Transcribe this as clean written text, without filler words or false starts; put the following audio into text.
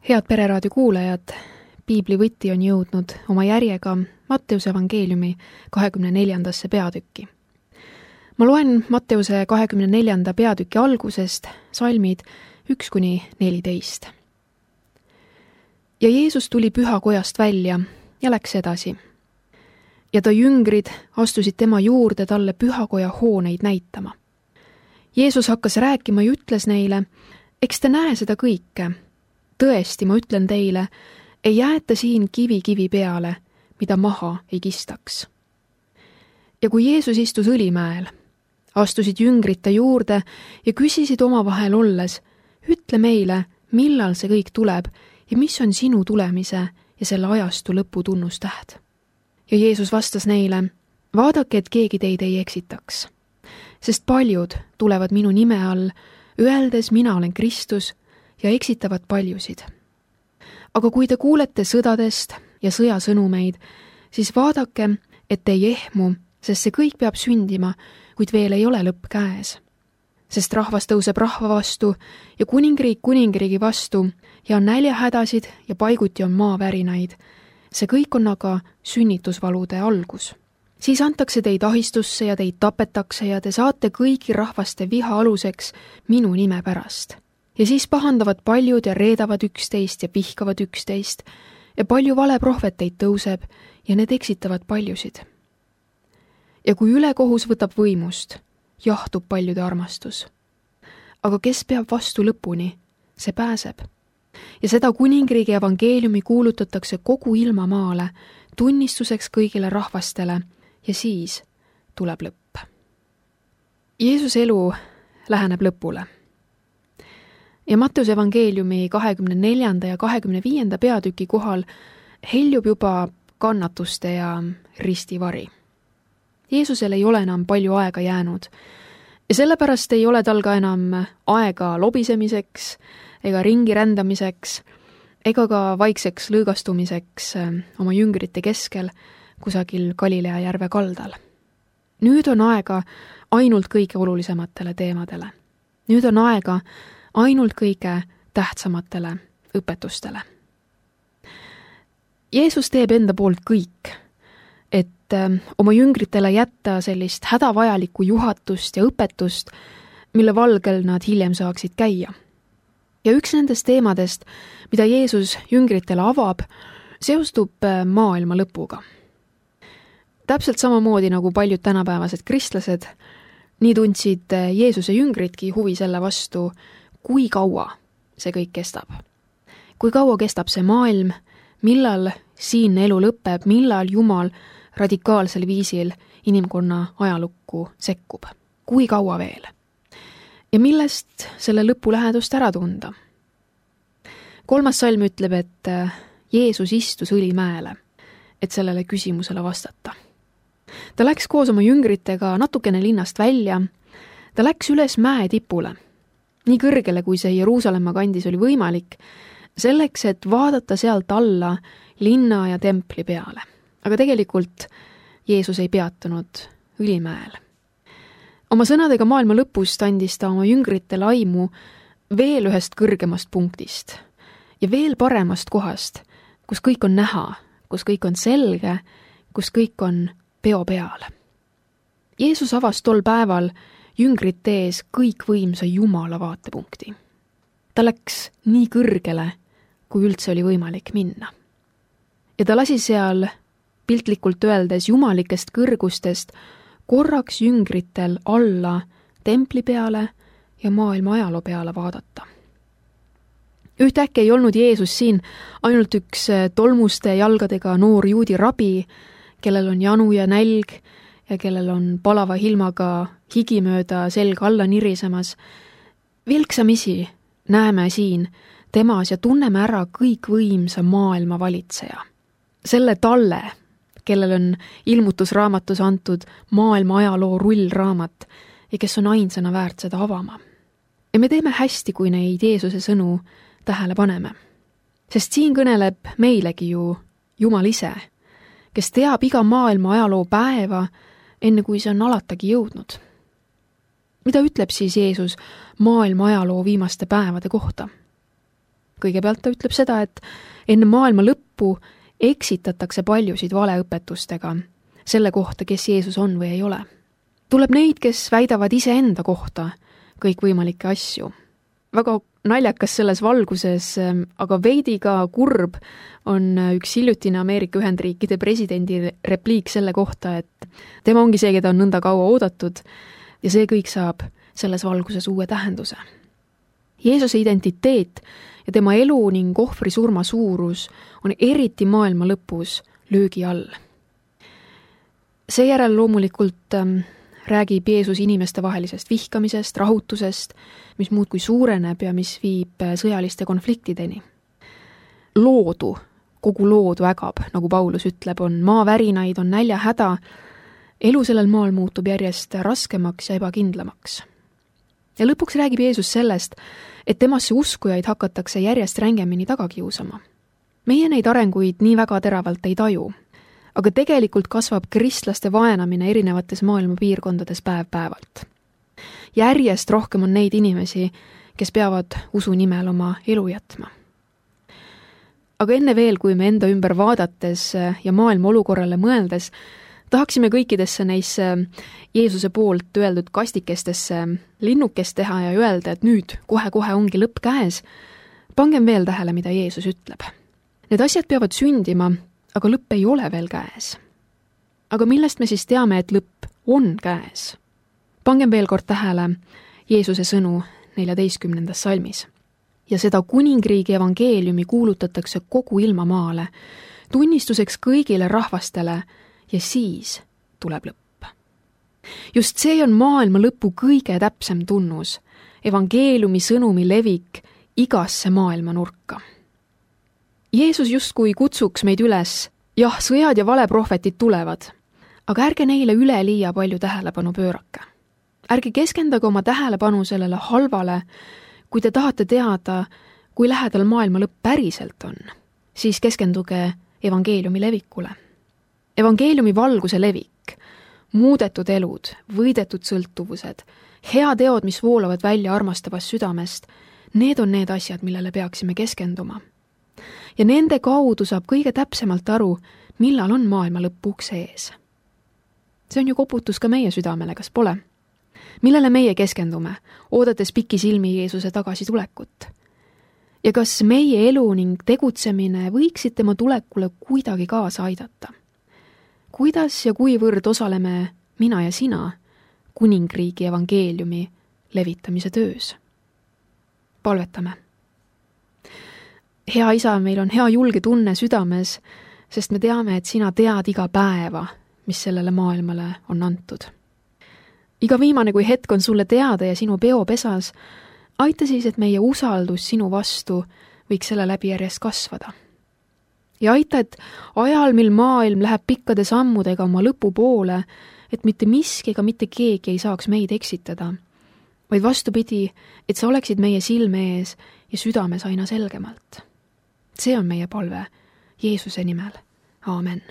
Head Pereraadio kuulajad, Piibli võti on jõudnud oma järjega Matteuse evangeeliumi 24. peatükki. Ma loen Matteuse 24. peatüki algusest salmid 1-14. Ja Jeesus tuli pühakojast välja ja läks edasi. Ja ta jüngrid astusid tema juurde talle pühakoja hooneid näitama. Jeesus hakkas rääkima ja ütles neile, eks te näe seda kõike. Tõesti, ma ütlen teile, ei jäeta siin kivi peale, mida maha ei kistaks. Ja kui Jeesus istus õlimäel, astusid jüngrid ta juurde ja küsisid omavahel olles, ütle meile, millal see kõik tuleb ja mis on sinu tulemise ja selle ajastu lõpu tunnustäht. Ja Jeesus vastas neile, vaadake, et keegi teid ei eksitaks. Sest paljud tulevad minu nime all, öeldes mina olen Kristus ja eksitavad paljusid. Aga kui te kuulete sõdadest ja sõjasõnumeid, siis vaadake, et ei ehmu, sest see kõik peab sündima, kuid veel ei ole lõpp käes. Sest rahvas tõuseb rahva vastu ja kuningriik kuningriigi vastu ja on näljahädasid ja paiguti on maavärinaid. See kõik on aga sünnitusvalude algus. Siis antakse teid ahistusse ja teid tapetakse ja te saate kõigi rahvaste viha aluseks minu nime pärast. Ja siis pahandavad paljud ja reedavad üksteist ja vihkavad üksteist ja palju valeprohveteid tõuseb ja need eksitavad paljusid. Ja kui ülekohus võtab võimust, jahtub paljude armastus. Aga kes peab vastu lõpuni, see pääseb. Ja seda kuningriigi evangeeliumi kuulutatakse kogu ilmamaale, tunnistuseks kõigile rahvastele ja siis tuleb lõpp. Jeesuse elu läheneb lõpule. Ja Matteuse evangeeliumi 24. ja 25. peatüki kohal heljub juba kannatuste ja ristivari. Jeesusel ei ole enam palju aega jäänud ja sellepärast ei ole tal ka enam aega lobisemiseks ega ringi rändamiseks ega ka vaikseks lõõgastumiseks oma jüngrite keskel kusagil Galilea järve kaldal. Nüüd on aega ainult kõige olulisematele teemadele. Nüüd on aega ainult kõige tähtsamatele õpetustele. Jeesus teeb enda poolt kõik, et oma jüngritele jätta sellist hädavajalikku juhatust ja õpetust, mille valgel nad hiljem saaksid käia. Ja üks nendest teemadest, mida Jeesus jüngritele avab, seostub maailma lõpuga. Täpselt samamoodi nagu paljud tänapäevased kristlased, nii tundsid Jeesuse jüngritki huvi selle vastu, kui kaua see kõik kestab. Kui kaua kestab see maailm, millal siinne elu lõpeb, millal Jumal radikaalsel viisil inimkonna ajalukku sekkub. Kui kaua veel? Ja millest selle lõpu lähedust ära tunda? 3. salm ütleb, et Jeesus istus õlimäele, et sellele küsimusele vastata. Ta läks koos oma jüngritega natukene linnast välja, ta läks üles mäe tipule, nii kõrgele, kui see Jeruusalemma kandis oli võimalik, selleks, et vaadata sealt alla linna ja templi peale. Aga tegelikult Jeesus ei peatunud õlimäel. Oma sõnadega maailma lõpust andis ta oma jüngritele aimu veel ühest kõrgemast punktist ja veel paremast kohast, kus kõik on näha, kus kõik on selge, kus kõik on peo peal. Jeesus avas tol päeval jüngrite ees kõikvõimsa Jumala vaatepunkti. Ta läks nii kõrgele, kui üldse oli võimalik minna. Ja ta lasi seal, piltlikult öeldes jumalikest kõrgustest, korraks jüngritel alla templi peale ja maailma ajaloo peale vaadata. Ühtäkki ei olnud Jeesus siin ainult üks tolmuste jalgadega noor juudi rabi, kellel on janu ja nälg ja kellel on palava hilmaga higi mööda selga alla nirisemas. Vilksamisi näeme siin temas ja tunneme ära kõikvõimsa maailma valitseja. Selle talle, kellel on ilmutusraamatus antud maailma ajaloo rullraamat ja kes on ainsana väärt seda avama. Ja me teeme hästi, kui neid Jeesuse sõnu tähele paneme. Sest siin kõneleb meilegi ju Jumal ise, kes teab iga maailma ajaloo päeva, enne kui see on alatagi jõudnud. Mida ütleb siis Jeesus maailma ajaloo viimaste päevade kohta? Kõigepealt ta ütleb seda, et enne maailma lõppu eksitatakse paljusid valeõpetustega selle kohta, kes Jeesus on või ei ole. Tuleb neid, kes väidavad iseenda kohta kõikvõimalikke asju. Väga naljakas selles valguses, aga veidi ka kurb on üks hiljutine Ameerika Ühendriikide presidendi repliik selle kohta, et tema ongi see, keda on nõnda kaua oodatud ja see kõik saab selles valguses uue tähenduse. Jeesuse identiteet ja tema elu ning ohvri surma suurus on eriti maailma lõpus löögi all. Seejärel loomulikult räägib Jeesus inimestevahelisest vihkamisest, rahutusest, mis muudkui suureneb ja mis viib sõjaliste konfliktideni. Loodu, kogu loodu ägab, nagu Paulus ütleb, on maavärinaid, on näljahäda, elu sellel maal muutub järjest raskemaks ja ebakindlamaks. Ja lõpuks räägib Jeesus sellest, et temasse uskujaid hakatakse järjest rängemini taga kiusama. Meie neid arenguid nii väga teravalt ei taju, aga tegelikult kasvab kristlaste vaenamine erinevates maailma piirkondades päev-päevalt. Järjest rohkem on neid inimesi, kes peavad usu nimel oma elu jätma. Aga enne veel, kui me enda ümber vaadates ja maailma olukorrale mõeldes, tahaksime kõikidesse neisse Jeesuse poolt öeldud kastikestesse linnukest teha ja öelda, et nüüd kohe-kohe ongi lõpp käes. Pangem veel tähele, mida Jeesus ütleb. Need asjad peavad sündima, aga lõpp ei ole veel käes. Aga millest me siis teame, et lõpp on käes? Pangem veel kord tähele Jeesuse sõnu 14. salmis. Ja seda kuningriigi evangeeliumi kuulutatakse kogu ilmamaale, tunnistuseks kõigile rahvastele ja siis tuleb lõpp. Just see on maailma lõpu kõige täpsem tunnus, evangeeliumi sõnumi levik igasse maailma nurka. Jeesus justkui kutsuks meid üles, jah, sõjad ja valeprohvetid tulevad, aga ärge neile üleliia palju tähelepanu pöörake. Ärge keskendage oma tähelepanu sellele halvale, kui te tahate teada, kui lähedal maailma lõpp päriselt on, siis keskenduge evangeeliumi levikule. Evangeeliumi valguse levik, muudetud elud, võidetud sõltuvused, hea teod, mis voolavad välja armastavast südamest, need on need asjad, millele peaksime keskenduma. Ja nende kaudu saab kõige täpsemalt aru, millal on maailma lõpp ukse ees. See on ju koputus ka meie südamele, kas pole? Millele meie keskendume, oodates pikisilmi Jeesuse tagasitulekut? Ja kas meie elu ning tegutsemine võiksid tema tulekule kuidagi kaasa aidata? Kuidas ja kuivõrd osaleme mina ja sina kuningriigi evangeeliumi levitamise töös? Palvetame. Hea isa, meil on hea julge tunne südames, sest me teame, et sina tead iga päeva, mis sellele maailmale on antud. Iga viimane, kui hetk on sulle teada ja sinu peopesas, aita siis, et meie usaldus sinu vastu võiks selle läbi järjest kasvada. Ja aita, et ajal, mil maailm läheb pikkade sammudega oma lõpu poole, et mitte miski ega mitte keegi ei saaks meid eksitada, vaid vastupidi, et sa oleksid meie silme ees ja südames aina selgemalt. See on meie palve Jeesuse nimel. Aamen.